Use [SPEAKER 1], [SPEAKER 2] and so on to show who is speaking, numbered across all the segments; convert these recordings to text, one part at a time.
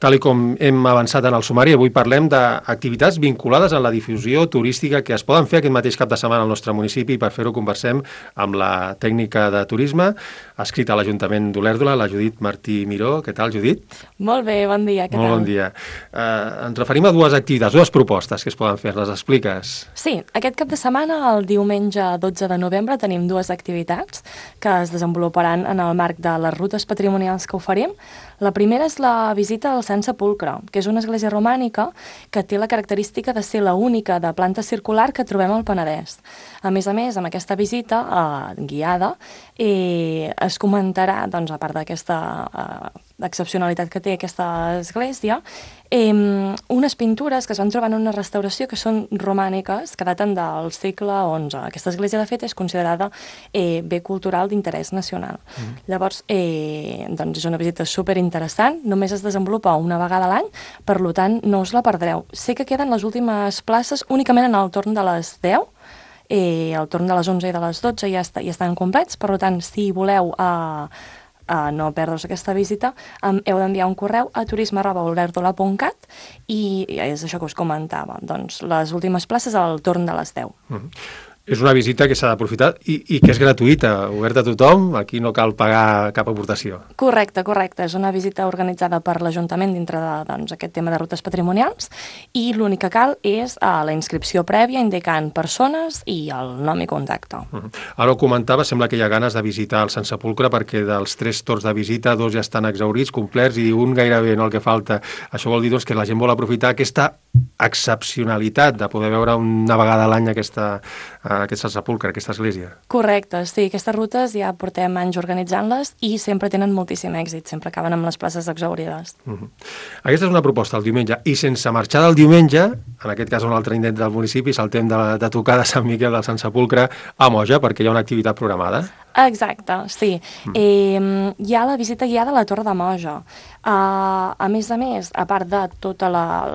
[SPEAKER 1] Tal com hem avançat en el sumari, avui parlem d'activitats vinculades a la difusió turística que es poden fer aquest mateix cap de setmana al nostre municipi, i per fer-ho conversem amb la tècnica de turisme adscrita a l'Ajuntament d'Olèrdola, la Judit Martí Miró. Què tal, Judit?
[SPEAKER 2] Molt bé, bon dia, què tal?
[SPEAKER 1] Molt bon dia. Ens referim a dues activitats, dues propostes que es poden fer, les expliques?
[SPEAKER 2] Sí, aquest cap de setmana, el diumenge 12 de novembre, tenim dues activitats que es desenvoluparan en el marc de les rutes patrimonials que oferim. La primera és la visita al Sant Sepulcre, que és una església romànica que té la característica de ser la única de planta circular que trobem al Penedès. A més, amb aquesta visita guiada, es comentarà, doncs, a part d'aquesta excepcionalitat que té aquesta església, unes pintures que es van trobar en una restauració que són romàniques, que daten del segle XI. Aquesta església, de fet, és considerada bé cultural d'interès nacional. Llavors, doncs és una visita superinteressant, només es desenvolupa una vegada a l'any, per tant, no us la perdreu. Sé que queden les últimes places únicament en el torn de les 10, al torn de les 11 i de les 12 ja estan complets, per tant, si voleu no perdre's aquesta visita, heu d'enviar un correu a turisme@olèrdola.cat i és això que us comentava, doncs les últimes places al torn de les 10.
[SPEAKER 1] És una visita que s'ha d'aprofitar i que és gratuïta, oberta a tothom, aquí no cal pagar cap aportació.
[SPEAKER 2] Correcte, és una visita organitzada per l'Ajuntament dintre d'aquest tema de rutes patrimonials, i l'únic que cal és la inscripció prèvia indicant persones i el nom i contacte.
[SPEAKER 1] Ara ho comentava, sembla que hi ha ganes de visitar el Sant Sepulcre perquè dels 3 torns de visita, 2 ja estan exhaurits, complerts, i un gairebé no el que falta. Això vol dir que la gent vol aprofitar aquesta excepcionalitat de poder veure una vegada a l'any aquest sepulcre, aquesta església.
[SPEAKER 2] Correcte, sí, aquestes rutes ja portem anys organitzant-les i sempre tenen moltíssim èxit, sempre acaben amb les places exhaurides.
[SPEAKER 1] Aquesta és una proposta el diumenge, i sense marxar del diumenge, en aquest cas un altre indret del municipi, saltem de tocar de Sant Miquel del Sant Sepulcre a Moja, perquè hi ha una activitat programada.
[SPEAKER 2] Exacte, sí. Hi ha la visita guiada a la Torre de Moja. A més, a part de tot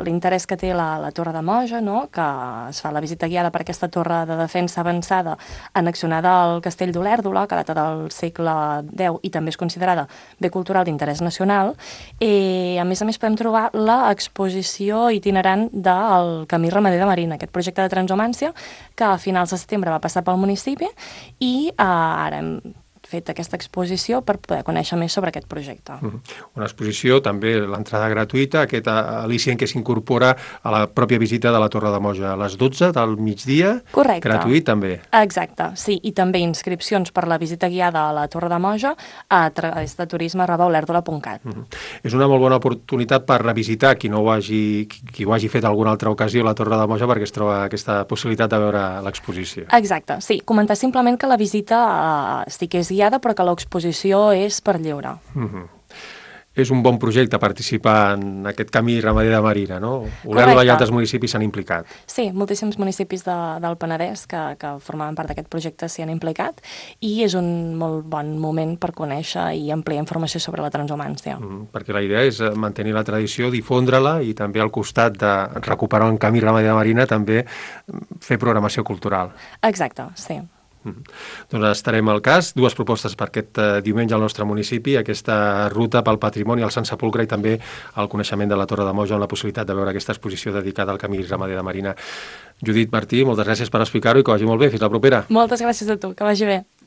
[SPEAKER 2] l'interès que té la Torre de Moja, no?, que es fa la visita guiada per aquesta torre de defensa avançada annexionada al castell d'Olèrdola, que data del segle X i també és considerada bé cultural d'interès nacional, a més podem trobar l'exposició itinerant del Camí Ramader de Marina, aquest projecte de transhumància que a finals de setembre va passar pel municipi, i ara hem fet aquesta exposició per poder conèixer més sobre aquest projecte.
[SPEAKER 1] Una exposició, també l'entrada gratuïta, aquest al·licient que s'incorpora a la pròpia visita de la Torre de Moja a les 12 del migdia.
[SPEAKER 2] Correcte.
[SPEAKER 1] Gratuït també.
[SPEAKER 2] Exacte, sí, i també inscripcions per la visita guiada a la Torre de Moja a través de turisme@olèrdola.cat.
[SPEAKER 1] És una molt bona oportunitat per revisitar qui ho hagi fet alguna altra ocasió a la Torre de Moja, perquè es troba aquesta possibilitat de veure l'exposició.
[SPEAKER 2] Exacte, sí, comentar simplement que la visita sí que és guiada, però que l'exposició és per lliure.
[SPEAKER 1] És un bon projecte participar en aquest camí ramader de Marina, no? Olèrdola i altres municipis s'han implicat.
[SPEAKER 2] Sí, moltíssims municipis del Penedès que formaven part d'aquest projecte s'hi han implicat, i és un molt bon moment per conèixer i ampliar informació sobre la transhumància.
[SPEAKER 1] Perquè la idea és mantenir la tradició, difondre-la, i també al costat de recuperar un camí ramader de Marina també fer programació cultural.
[SPEAKER 2] Exacte, sí.
[SPEAKER 1] Doncs estarem al cas. Dues propostes per aquest diumenge al nostre municipi, aquesta ruta pel patrimoni al Sant Sepulcre i també el coneixement de la Torre de Moja, amb la possibilitat de veure aquesta exposició dedicada al Camí Ramader de Marina. Judit Martí, moltes gràcies per explicar-ho i que vagi molt bé. Fins la propera.
[SPEAKER 2] Moltes gràcies a tu, que vagi bé.